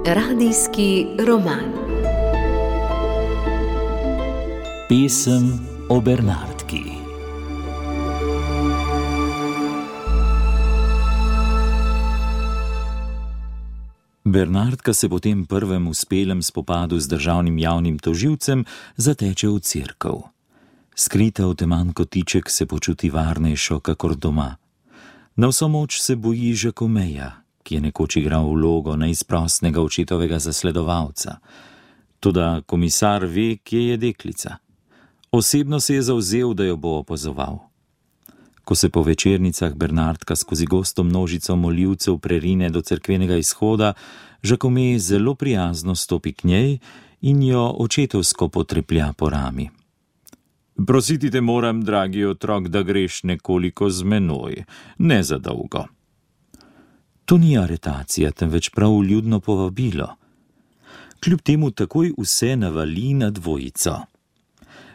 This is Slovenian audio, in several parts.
Radijski roman. Pesem o Bernardki. Bernardka se po tem prvem uspelem spopadu z državnim javnim tožilcem zateče v cerkev. Skrita v teman kotiček se počuti varnejšo kakor doma. Na vso moč se boji Žakomeja, ki je nekoč igral vlogo neizprostnega očetovega zasledovalca. Toda komisar ve, kje je deklica. Osebno se je zavzel, da jo bo opazoval. Ko se po večernicah Bernardka skozi gosto množico molivcev prerine do cerkvenega izhoda, Žakomej zelo prijazno stopi k njej in jo očetovsko potreplja po rami. Prositi te moram, dragi otrok, da greš nekoliko z menoj, ne za dolgo. To ni aretacija, temveč prav vljudno povabilo. Kljub temu takoj vse navali na dvojico.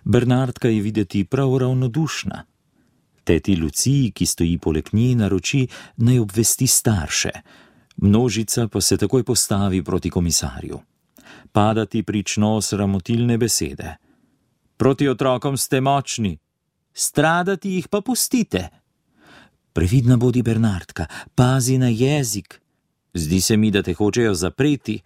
Bernardka je videti prav ravnodušna. Teti Luciji, ki stoji poleg nje, naroči, naj obvesti starše. Množica pa se takoj postavi proti komisarju. Padati prično sramotilne besede. Proti otrokom ste močni, stradati jih pa pustite. Previdna bodi, Bernardka, pazi na jezik. Zdi se mi, da te hočejo zapreti.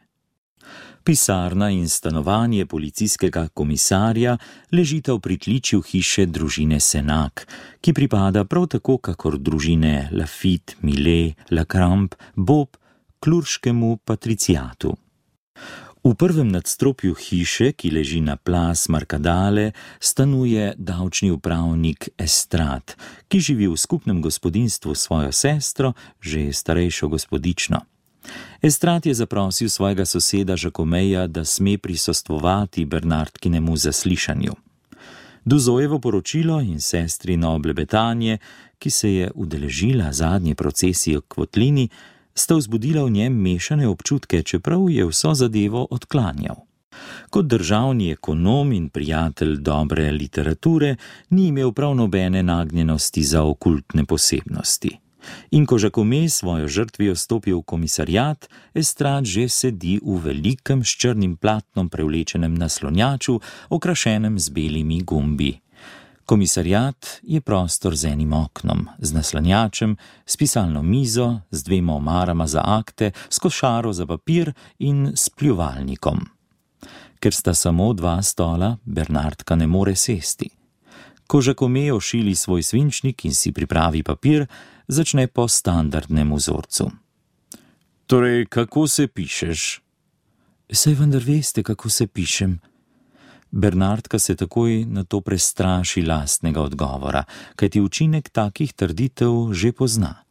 Pisarna in stanovanje policijskega komisarja ležita v pritličju hiše družine Senak, ki pripada prav tako kakor družine Lafitte, Millet, Lacrampe, Bob, klurškemu patriciatu. V prvem nadstropju hiše, ki leži na Place Marcadale, stanuje davčni upravnik Estrade, ki živi v skupnem gospodinjstvu s svojo sestro, že starejšo gospodično. Estrade je zaprosil svojega soseda Žakomeja, da sme prisostvovati Bernardkinemu zaslišanju. Duzojevo poročilo in sestrino oblebetanje, ki se je udeležila zadnje procesije k votlini, sta vzbudila v njem mešane občutke, čeprav je vso zadevo odklanjal. Kot državni ekonom in prijatelj dobre literature ni imel prav nobene nagnjenosti za okultne posebnosti. In ko Žakomej svojo žrtvijo stopi v komisarjat, Estrade že sedi v velikem s črnim platnom prevlečenem naslonjaču, okrašenem z belimi gumbi. Komisarjat je prostor z enim oknom, z naslonjačem, s pisalno mizo, z dvema omarama za akte, s košaro za papir in s pljuvalnikom. Ker sta samo dva stola, Bernardka ne more sesti. Ko Žakomej ošili svoj svinčnik in si pripravi papir, začne po standardnem vzorcu. Torej, kako se pišeš? Saj vendar veste, kako se pišem. Bernardka se takoj na to prestraši lastnega odgovora, kajti učinek takih trditev že pozna.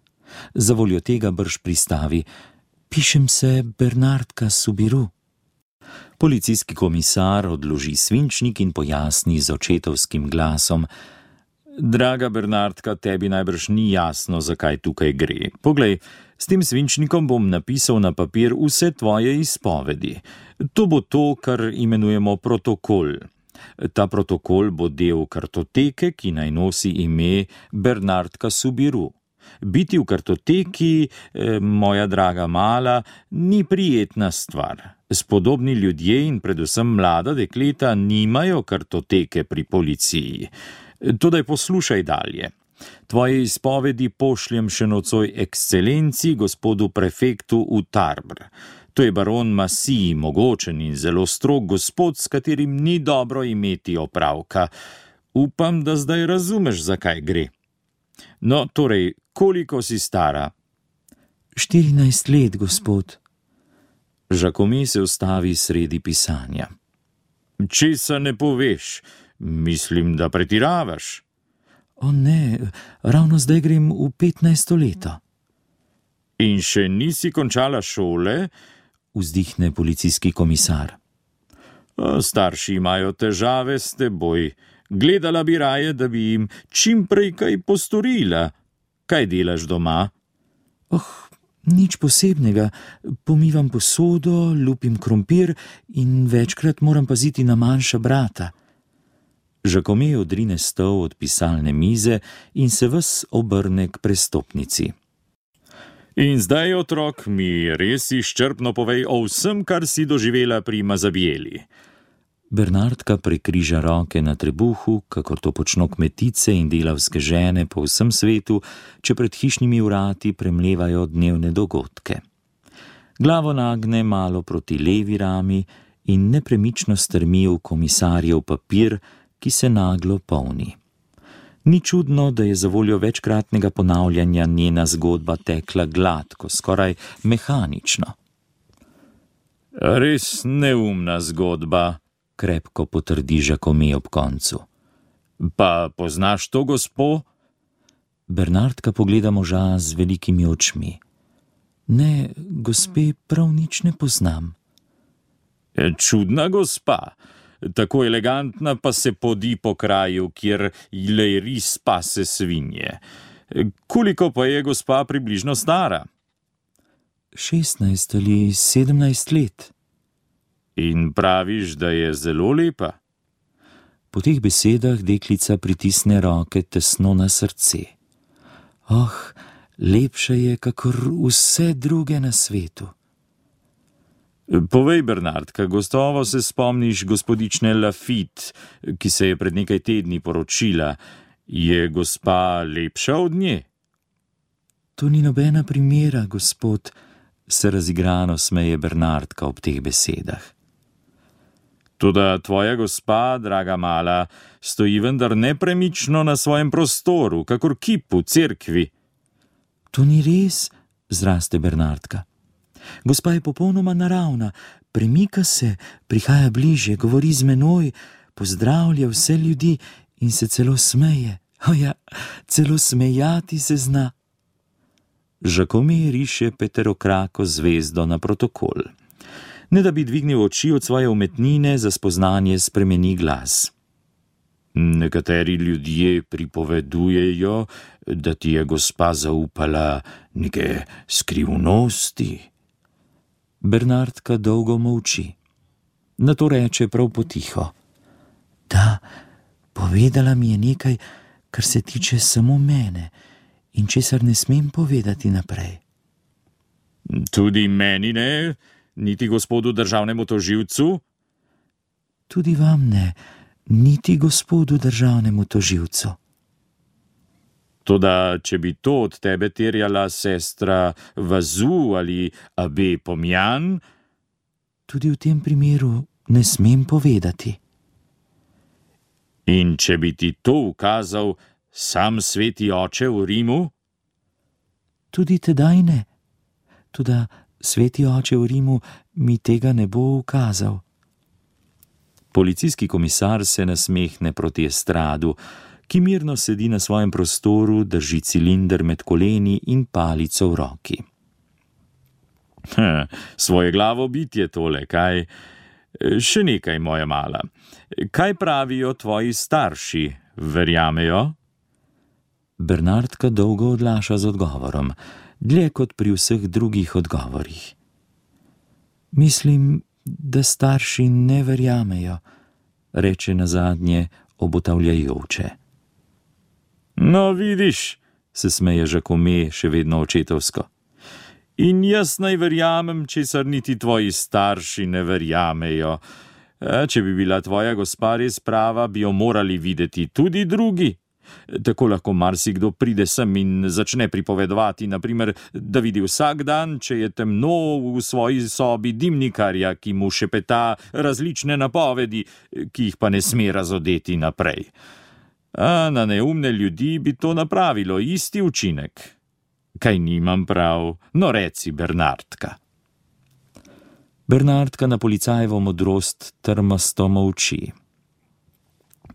Zavoljo tega brž pristavi: pišem se Bernardka Soubirous. Policijski komisar odloži svinčnik in pojasni z očetovskim glasom: Draga Bernardka, tebi najbrž ni jasno, zakaj tukaj gre. Poglej, s tem svinčnikom bom napisal na papir vse tvoje izpovedi. To bo to, kar imenujemo protokol. Ta protokol bo del kartoteke, ki naj nosi ime Bernardka Soubirous. Biti v kartoteki, moja draga mala, ni prijetna stvar. Spodobni ljudje in predvsem mlada dekleta nimajo kartoteke pri policiji. Todaj poslušaj dalje. Tvoje izpovedi pošljem še nocoj ekscelenci, gospodu prefektu v Tarbes. To je baron Massy, mogočen in zelo strog gospod, s katerim ni dobro imeti opravka. Upam, da zdaj razumeš, zakaj gre. No, torej, koliko si stara? 14 let, gospod. Žakomej se ustavi sredi pisanja. Česa ne poveš? Mislim, da pretiravaš. O ne, ravno zdaj grem v 15. leto. In še nisi končala šole? Vzdihne policijski komisar. Starši imajo težave s teboj. Gledala bi raje, da bi jim čim prej kaj postorila. Kaj delaš doma? Nič posebnega. Pomivam posodo, lupim krompir in večkrat moram paziti na manjša brata. Žakome odrine stol od pisalne mize in se ves obrne k prestopnici. In zdaj, otrok, mi res izčrpno povej o vsem, kar si doživela pri Mazabijeli. Bernardka prekriža roke na trebuhu, kakor to počno kmetice in delavske žene po vsem svetu, če pred hišnimi vrati premlevajo dnevne dogodke. Glavo nagne malo proti levi rami in nepremično strmi v komisarjev papir, ki se naglo polni. Ni čudno, da je zavoljo večkratnega ponavljanja njena zgodba tekla gladko, skoraj mehanično. Res neumna zgodba, krepko potrdi Žakome ob koncu. Pa poznaš to gospo? Bernardka pogleda moža z velikimi očmi. Ne, gospe, prav nič ne poznam. Čudna gospa. Tako elegantna pa se podi po kraju, kjer le ris pase svinje. Koliko pa je gospa približno stara? 16 ali 17 let. In praviš, da je zelo lepa? Po teh besedah deklica pritisne roke tesno na srce. Oh, lepša je, kakor vse druge na svetu. Povej, Bernardka, gotovo se spomniš gospodične Lafitte, ki se je pred nekaj tedni poročila. Je gospa lepša od nje? To ni nobena primera, gospod, se razigrano smeje Bernardka ob teh besedah. Toda tvoja gospa, draga mala, stoji vendar nepremično na svojem prostoru, kakor kip v cerkvi. To ni res, zraste Bernardka. Gospa je popolnoma naravna, premika se, prihaja bliže, govori z menoj, pozdravlja vse ljudi in se celo smeje. Ja, celo smejati se zna. Žakome riše peterokrako zvezdo na protokol. Ne da bi dvignil oči od svoje umetnine, za spoznanje spremeni glas. Nekateri ljudje pripovedujejo, da ti je gospa zaupala neke skrivnosti. Bernardka dolgo molči. Nato reče prav potiho. Da, povedala mi je nekaj, kar se tiče samo mene in česar ne smem povedati naprej. Tudi meni ne, niti gospodu državnemu tožilcu? Tudi vam ne, niti gospodu državnemu tožilcu. Toda, če bi to od tebe terjala sestra Vazu ali abe Pomjan? Tudi v tem primeru ne smem povedati. In če bi ti to ukazal sam sveti oče v Rimu? Tudi tedaj ne. Toda sveti oče v Rimu mi tega ne bo ukazal. Policijski komisar se nasmehne proti estradu, ki mirno sedi na svojem prostoru, drži cilinder med koleni in palico v roki. Svoje glavo bitje tole, kaj? Še nekaj, moja mala. Kaj pravijo tvoji starši, verjamejo? Bernardka dolgo odlaša z odgovorom, dlje kot pri vseh drugih odgovorih. Mislim, da starši ne verjamejo, reče nazadnje obotavljajoče. No, vidiš, se smeje Žakome še vedno očetovsko. In jaz naj verjamem, česar niti tvoji starši ne verjamejo. Če bi bila tvoja gospa res prava, bi jo morali videti tudi drugi. Tako lahko marsikdo pride sem in začne pripovedovati, naprimer, da vidi vsak dan, če je temno, v svoji sobi dimnikarja, ki mu šepeta različne napovedi, ki jih pa ne sme razodeti naprej. A na neumne ljudi bi to napravilo isti učinek. Kaj nimam prav? No, reci, Bernardka. Bernardka na policajevo modrost trmasto molči.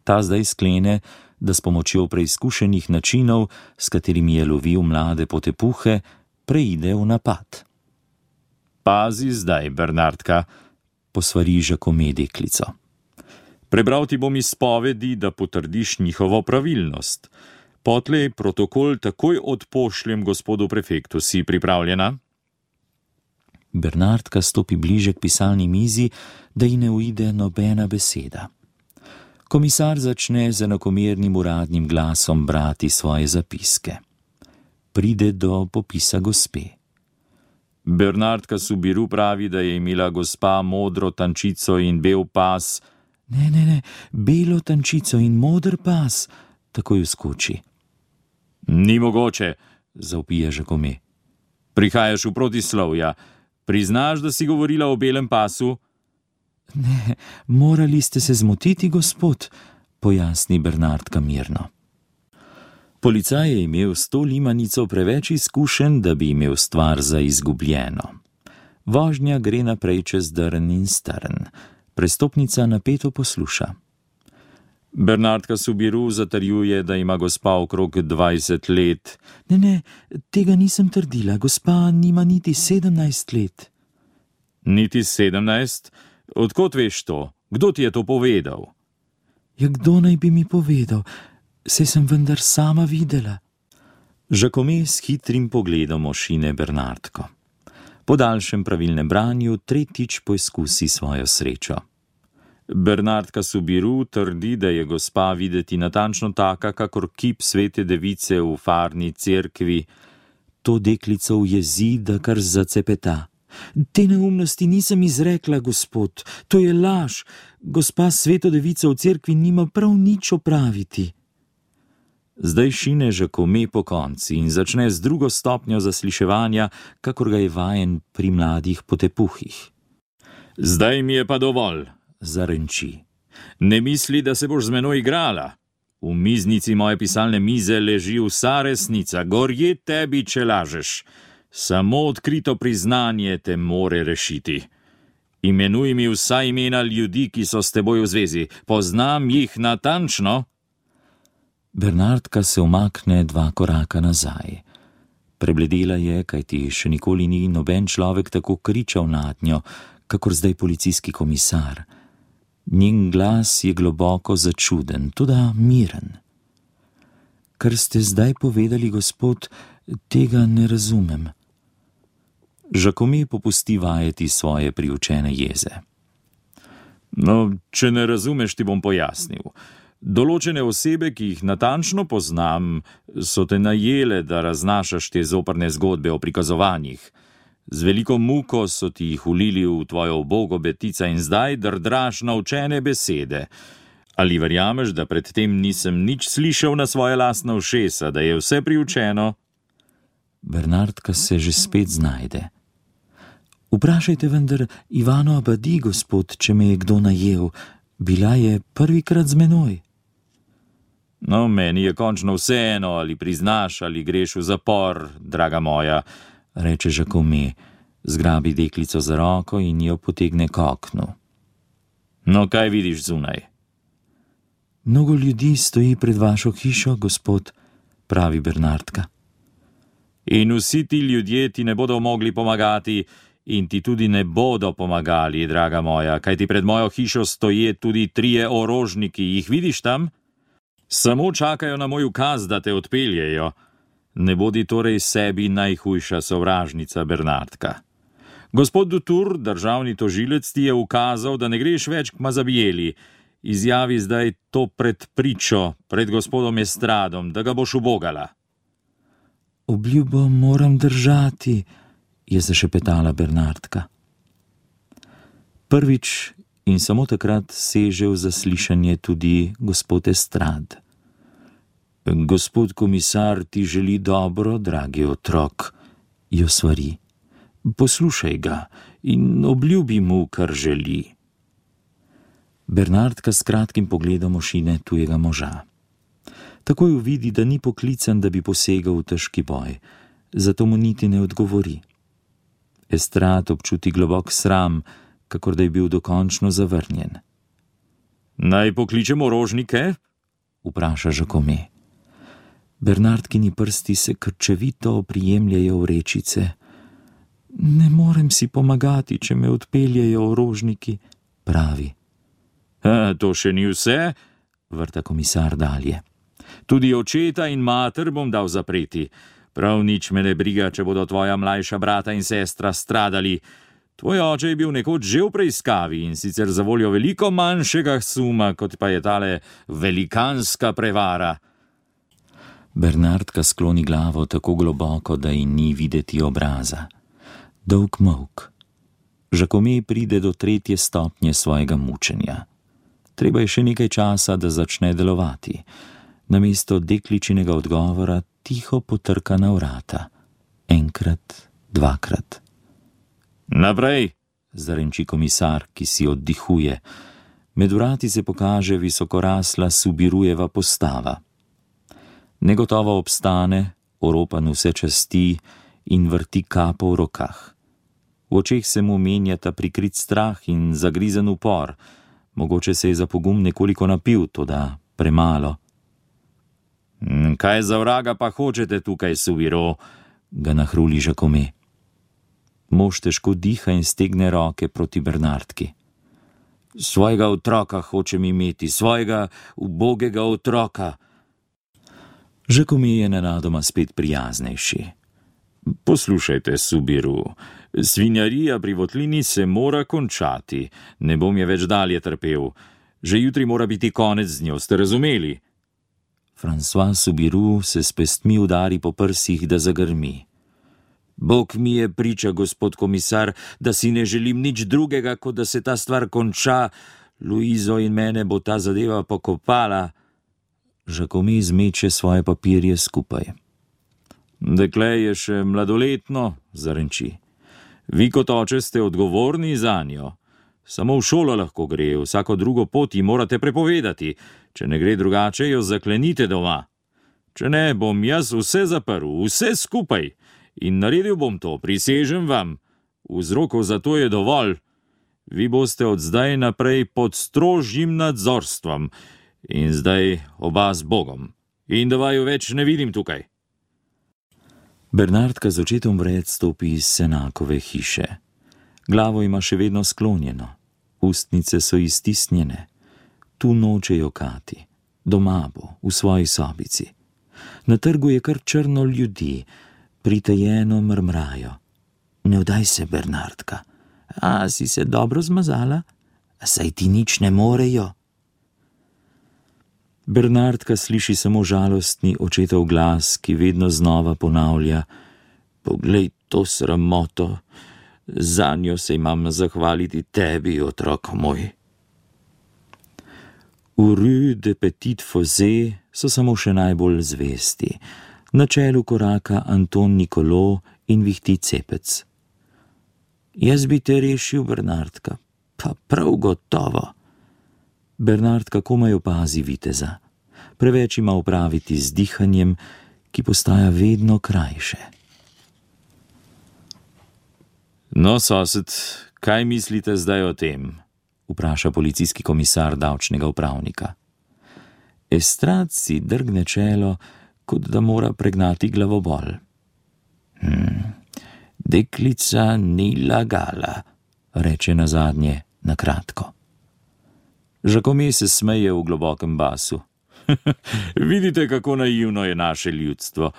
Ta zdaj sklene, da s pomočjo preizkušenih načinov, s katerimi je lovil mlade potepuhe, preide v napad. Pazi zdaj, Bernardka, posvari Žakome deklico. Prebral ti bom izpovedi, da potrdiš njihovo pravilnost. Potlej protokol takoj odpošljem gospodu prefektu. Si pripravljena? Bernardka stopi bliže k pisalni mizi, da ji ne uide nobena beseda. Komisar začne z enakomernim uradnim glasom brati svoje zapiske. Pride do popisa gospe. Bernardka Subiru pravi, da je imela gospa modro tančico in bel pas. Ne, belo tančico in moder pas, takoj vskoči. Ni mogoče, zavpije Žakome. Prihajaš v protislovja. Priznaš, da si govorila o belem pasu? Ne, morali ste se zmotiti, gospod, pojasni Bernardka mirno. Policaj je imel s to limanico preveč izkušenj, da bi imel stvar za izgubljeno. Vožnja gre naprej čez drn in strn. Prestopnica napeto posluša. Bernardka Subiru zatrjuje, da ima gospa okrog 20 let. Ne, tega nisem trdila. Gospa nima niti 17 let. Niti 17? Odkot veš to? Kdo ti je to povedal? Ja, kdo naj bi mi povedal? Saj sem vendar sama videla. Žakome s hitrim pogledom ošine Bernardko. Po daljšem pravilnem branju tretjič poizkusi svojo srečo. Bernardka Subiru trdi, da je gospa videti natančno taka, kakor kip svete device v farni cerkvi. To deklico ujezi, da kar zacepeta. Te neumnosti nisem izrekla, gospod, to je laž. Gospa sveto devico v cerkvi nima prav nič opraviti. Zdaj šine Žakome po konci in začne z drugo stopnjo zasliševanja, kakor ga je vajen pri mladih potepuhih. Zdaj mi je pa dovolj, zarenči. Ne misli, da se boš z menoj igrala. V miznici moje pisalne mize leži vsa resnica, gorje tebi, če lažeš. Samo odkrito priznanje te more rešiti. Imenuj mi vsa imena ljudi, ki so s teboj v zvezi. Poznam jih natančno. Bernardka se umakne 2 koraka nazaj. Prebledela je, kajti še nikoli ni noben človek tako kričal nad njo, kakor zdaj policijski komisar. Njen glas je globoko začuden, toda miren. Kar ste zdaj povedali, gospod, tega ne razumem. Žakome popusti vajeti svoje priučene jeze. No, če ne razumeš, ti bom pojasnil. Določene osebe, ki jih natančno poznam, so te najele, da raznašaš te zoprne zgodbe o prikazovanjih. Z veliko muko so ti jih ulili v tvojo ubogo betica in zdaj drdraš naučene besede. Ali verjameš, da predtem nisem nič slišal na svoje lastna ušesa, da je vse priučeno? Bernardka se že spet znajde. Vprašajte vendar Ivano Abadi, gospod, če me je kdo najel. Bila je prvikrat z menoj. No, meni je končno vseeno, ali priznaš, ali greš v zapor, draga moja, reče Žakome, zgrabi deklico za roko in jo potegne k oknu. No, kaj vidiš zunaj? Mnogo ljudi stoji pred vašo hišo, gospod, pravi Bernardka. In vsi ti ljudje ti ne bodo mogli pomagati in ti tudi ne bodo pomagali, draga moja, kajti pred mojo hišo stoje tudi 3 orožniki, jih vidiš tam? Samo čakajo na moj ukaz, da te odpeljejo. Ne bodi torej sebi najhujša sovražnica, Bernardka. Gospod Dutour, državni tožilec, ti je ukazal, da ne greš več k Mazabijeli. Izjavi zdaj to pred pričo, pred gospodom Estradom, da ga boš ubogala. Obljubo moram držati, je zašepetala Bernardka. Prvič in samo takrat seže v zaslišanje tudi gospod Estrad. Gospod komisar ti želi dobro, dragi otrok, jo svari. Poslušaj ga in obljubi mu, kar želi. Bernardka s kratkim pogledom ošine tujega moža. Takoj uvidi, da ni poklican, da bi posegal v težki boj, zato mu niti ne odgovori. Estrad občuti globok sram, kakor da je bil dokončno zavrnjen. Naj pokličemo orožnike? Vpraša Žakome. Bernardkini prsti se krčevito oprijemljajo v rečice. Ne morem si pomagati, če me odpeljejo orožniki, pravi. To še ni vse, vrta komisar dalje. Tudi očeta in mater bom dal zapreti. Prav nič me ne briga, če bodo tvoja mlajša brata in sestra stradali. Tvoj oče je bil nekoč že v preiskavi in sicer zavoljo veliko manjšega suma, kot pa je tale velikanska prevara. Bernardka skloni glavo tako globoko, da ji ni videti obraza. Dolg molk. Žakome pride do 3. stopnje svojega mučenja. Treba je še nekaj časa, da začne delovati. Namesto dekličinega odgovora tiho potrka na vrata. Enkrat, dvakrat. Naprej, zarenči komisar, ki si oddihuje. Med vrati se pokaže visokorasla Subirujeva postava. Negotovo obstane, oropan vse časti in vrti kapo v rokah. V očeh se mu menjata prikrit strah in zagrizen upor. Mogoče se je za pogum nekoliko napil, toda premalo. Kaj za vraga pa hočete tukaj, Subiro? Ga nahruli Žakome. Mož težko diha in stegne roke proti Bernardki. Svojega otroka hočem imeti, svojega ubogega otroka. Žakome je nenadoma spet prijaznejši. Poslušajte, Subiru, svinjarija pri votlini se mora končati, ne bom je več dalje trpel. Že jutri mora biti konec z njo, ste razumeli? François Subiru se s pestmi udari po prsih, da zagrmi. Bog mi je priča, gospod komisar, da si ne želim nič drugega, kot da se ta stvar konča. Luizo in mene bo ta zadeva pokopala. Žakome zmeče svoje papirje skupaj. Dekle je še mladoletno, zarenči. Vi kot oče ste odgovorni zanjo. Samo v šolo lahko gre, vsako drugo pot ji morate prepovedati. Če ne gre drugače, jo zaklenite doma. Če ne, bom jaz vse zaprl, vse skupaj. In naredil bom to, prisežem vam. Vzrokov za to je dovolj. Vi boste od zdaj naprej pod strožjim nadzorstvom. In zdaj oba z Bogom. In da vaju več ne vidim tukaj. Bernardka z očetom vred stopi iz Senakove hiše. Glavo ima še vedno sklonjeno. Ustnice so iztisnjene. Tu noče jokati. Doma bo, v svoji sobici. Na trgu je kar črno ljudi. Pritajeno mrmrajo. Ne vdaj se, Bernardka. A si se dobro zmazala? Saj ti nič ne morejo. Bernardka sliši samo žalostni očetov glas, ki vedno znova ponavlja: Poglej to sramoto, zanjo se imam zahvaliti tebi, otrok moj. V Rue de Petit Fossé so samo še najbolj zvesti. Na čelu koraka Anton Nikolo in vihti cepec. Jaz bi te rešil, Bernardka, pa prav gotovo. Bernardka komaj opazi viteza. Preveč ima opraviti z dihanjem, ki postaja vedno krajše. No, sosed, kaj mislite zdaj o tem? Vpraša policijski komisar davčnega upravnika. Estrad si drgne čelo, kot da mora pregnati glavobol. Deklica ni lagala, reče nazadnje na kratko. Žakome se smeje v globokem basu. Vidite, kako naivno je naše ljudstvo.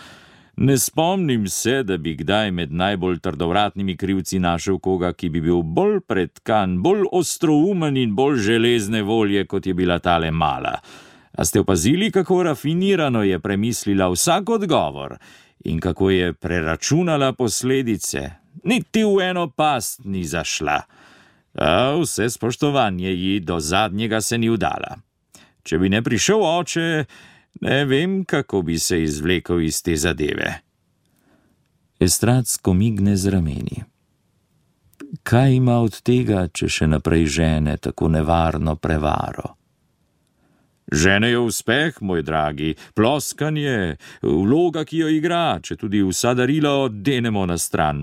Ne spomnim se, da bi kdaj med najbolj trdovratnimi krivci našel koga, ki bi bil bolj pretkan, bolj ostroumen in bolj železne volje, kot je bila tale mala. A ste opazili, kako rafinirano je premislila vsak odgovor in kako je preračunala posledice? Niti v eno past ni zašla. A vse spoštovanje ji do zadnjega se ni vdala. Če bi ne prišel oče, ne vem, kako bi se izvlekel iz te zadeve. Estrad skomigne z rameni. Kaj ima od tega, če še naprej žene tako nevarno prevaro? Žene je uspeh, moj dragi, ploskanje, vloga, ki jo igra, če tudi vsa darila oddenemo na stran.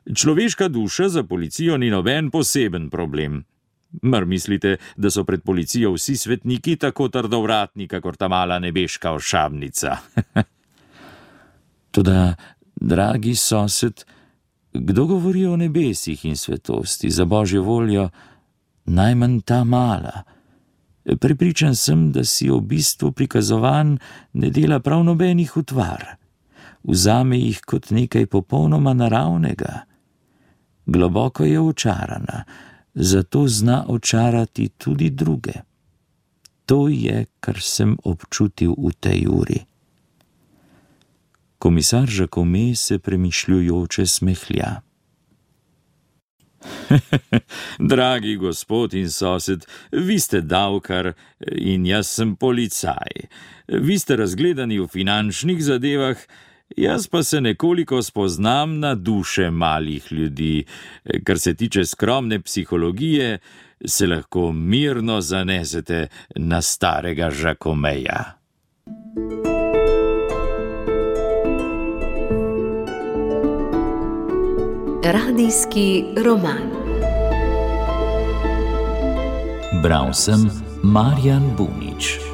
Človeška duša za policijo ni noben poseben problem. Mar mislite, da so pred policijo vsi svetniki tako trdovratni, kakor ta mala nebeška ošabnica? Toda, dragi sosed, kdo govori o nebesih in svetosti, za božjo voljo, najmanj ta mala? Prepričan sem, da si o bistvu prikazovanj ne dela prav nobenih utvar. Vzame jih kot nekaj popolnoma naravnega. Globoko je očarana, zato zna očarati tudi druge. To je, kar sem občutil v tej uri. Komisar Jacome se premišljujoče smehlja. Dragi gospod in sosed, vi ste davkar in jaz sem policaj. Vi ste razgledani v finančnih zadevah, jaz pa se nekoliko spoznam na duše malih ljudi. Kar se tiče skromne psihologije, se lahko mirno zanesete na starega Jacomeja. Radijski roman. Bral sem Marjan Bunič.